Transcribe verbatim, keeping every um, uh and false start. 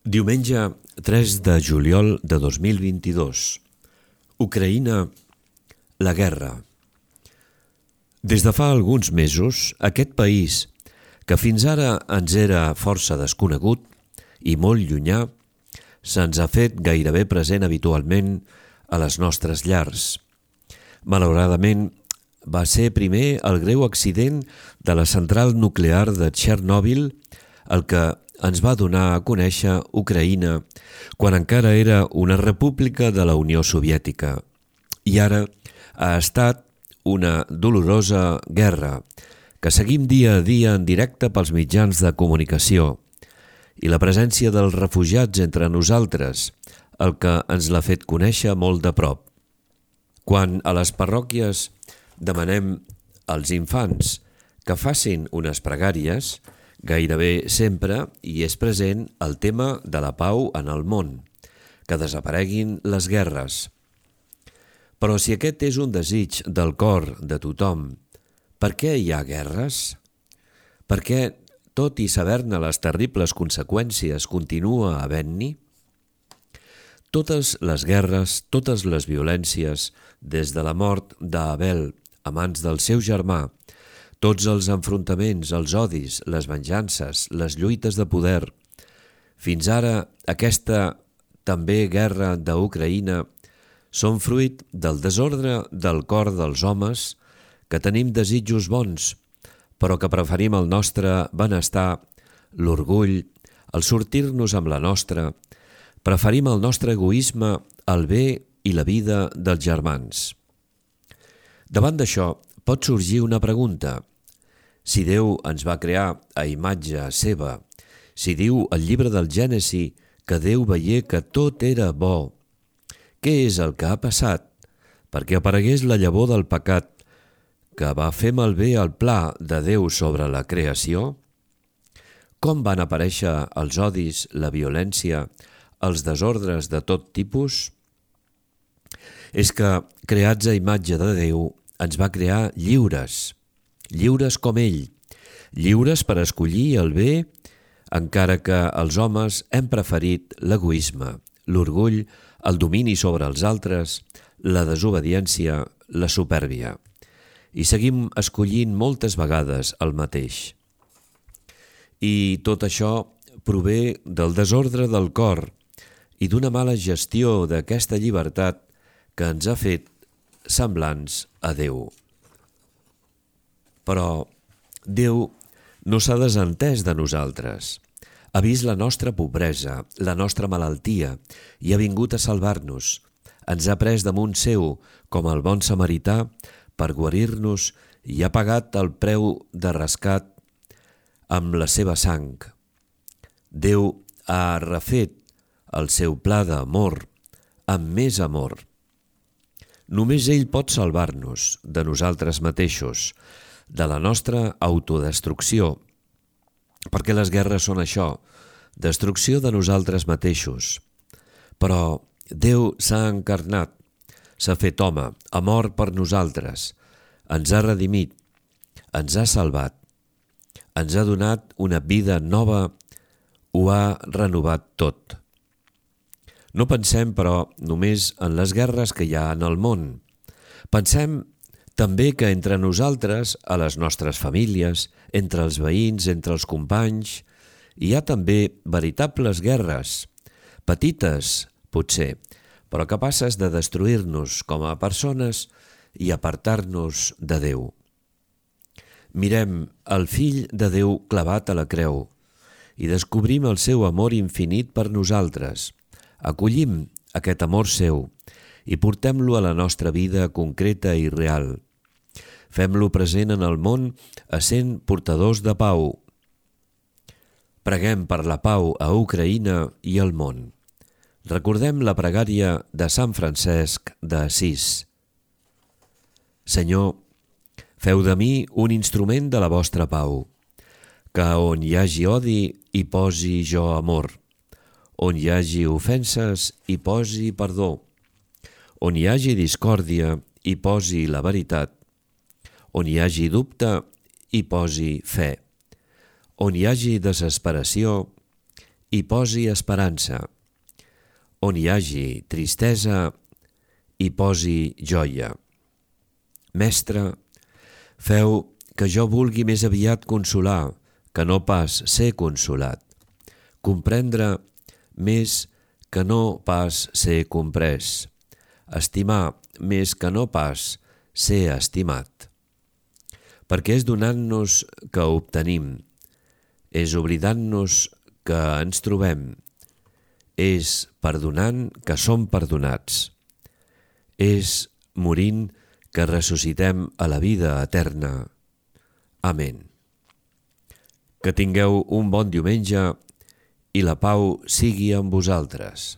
Diumenge tres de juliol de dos mil vint-i-dos. Ucraïna, la guerra. Des de fa alguns mesos, aquest país, que fins ara ens era força desconegut i molt llunyà, se'ns ha fet gairebé present habitualment a les nostres llars. Malauradament, va ser primer el greu accident de la central nuclear de Txernòbil el que ens va donar a conèixer Ucraïna quan encara era una república de la Unió Soviètica. I ara ha estat una dolorosa guerra que seguim dia a dia en directe pels mitjans de comunicació i la presència dels refugiats entre nosaltres, el que ens l'ha fet conèixer molt de prop. Quan a les parròquies demanem als infants que facin unes pregàries, gairebé sempre hi és present el tema de la pau en el món, que desapareguin les guerres. Però si aquest és un desig del cor de tothom, per què hi ha guerres? Per què, tot i saber-ne les terribles conseqüències, continua havent-n'hi? Totes les guerres, totes les violències, des de la mort d'Abel a mans del seu germà, tots els enfrontaments, els odis, les venjances, les lluites de poder, fins ara aquesta també guerra d'Ucraïna, són fruit del desordre del cor dels homes que tenim desitjos bons, però que preferim el nostre benestar, l'orgull, el sortir-nos amb la nostra, preferim el nostre egoisme, el bé i la vida dels germans. Davant d'això pot sorgir una pregunta. Si Déu ens va crear a imatge seva, si diu el llibre del Gènesi que Déu veié que tot era bo, què és el que ha passat perquè aparegués la llavor del pecat que va fer malbé el pla de Déu sobre la creació? Com van aparèixer els odis, la violència, els desordres de tot tipus? És que, creats a imatge de Déu, ens va crear lliures, lliures com ell, lliures per escollir el bé, encara que els homes hem preferit l'egoisme, l'orgull, el domini sobre els altres, la desobediència, la supèrbia. I seguim escollint moltes vegades el mateix. I tot això prové del desordre del cor i d'una mala gestió d'aquesta llibertat que ens ha fet semblants a Déu. Però Déu no s'ha desentès de nosaltres. Ha vist la nostra pobresa, la nostra malaltia i ha vingut a salvar-nos. Ens ha pres damunt seu com el bon samarità per guarir-nos i ha pagat el preu de rescat amb la seva sang. Déu ha refet el seu pla d'amor amb més amor. Només ell pot salvar-nos de nosaltres mateixos, de la nostra autodestrucció, perquè les guerres són això, destrucció de nosaltres mateixos. Però Déu s'ha encarnat, s'ha fet home, ha mort per nosaltres, ens ha redimit, ens ha salvat, ens ha donat una vida nova, ho ha renovat tot. No pensem, però, només en les guerres que hi ha en el món. Pensem també que entre nosaltres, a les nostres famílies, entre els veïns, entre els companys, hi ha també veritables guerres, petites, potser, però capaces de destruir-nos com a persones i apartar-nos de Déu. Mirem el Fill de Déu clavat a la creu i descobrim el seu amor infinit per nosaltres. Acollim aquest amor seu i portem-lo a la nostra vida concreta i real. Fem-lo present en el món essent portadors de pau. Preguem per la pau a Ucraïna i al món. Recordem la pregària de Sant Francesc d'Assís. Senyor, feu de mi un instrument de la vostra pau, que on hi hagi odi hi posi jo amor, on hi hagi ofenses hi posi perdó, on hi hagi discòrdia hi posi la veritat, on hi hagi dubte hi posi fe, on hi hagi desesperació hi posi esperança. On hi hagi tristesa, hi posi joia. Mestre, feu que jo vulgui més aviat consolar, que no pas ser consolat. Comprendre més que no pas ser comprès. Estimar més que no pas ser estimat. Perquè és donant-nos que obtenim, és oblidant-nos que ens trobem, és perdonant que som perdonats, és morint que ressuscitem a la vida eterna. Amén. Que tingueu un bon diumenge i la pau sigui amb vosaltres.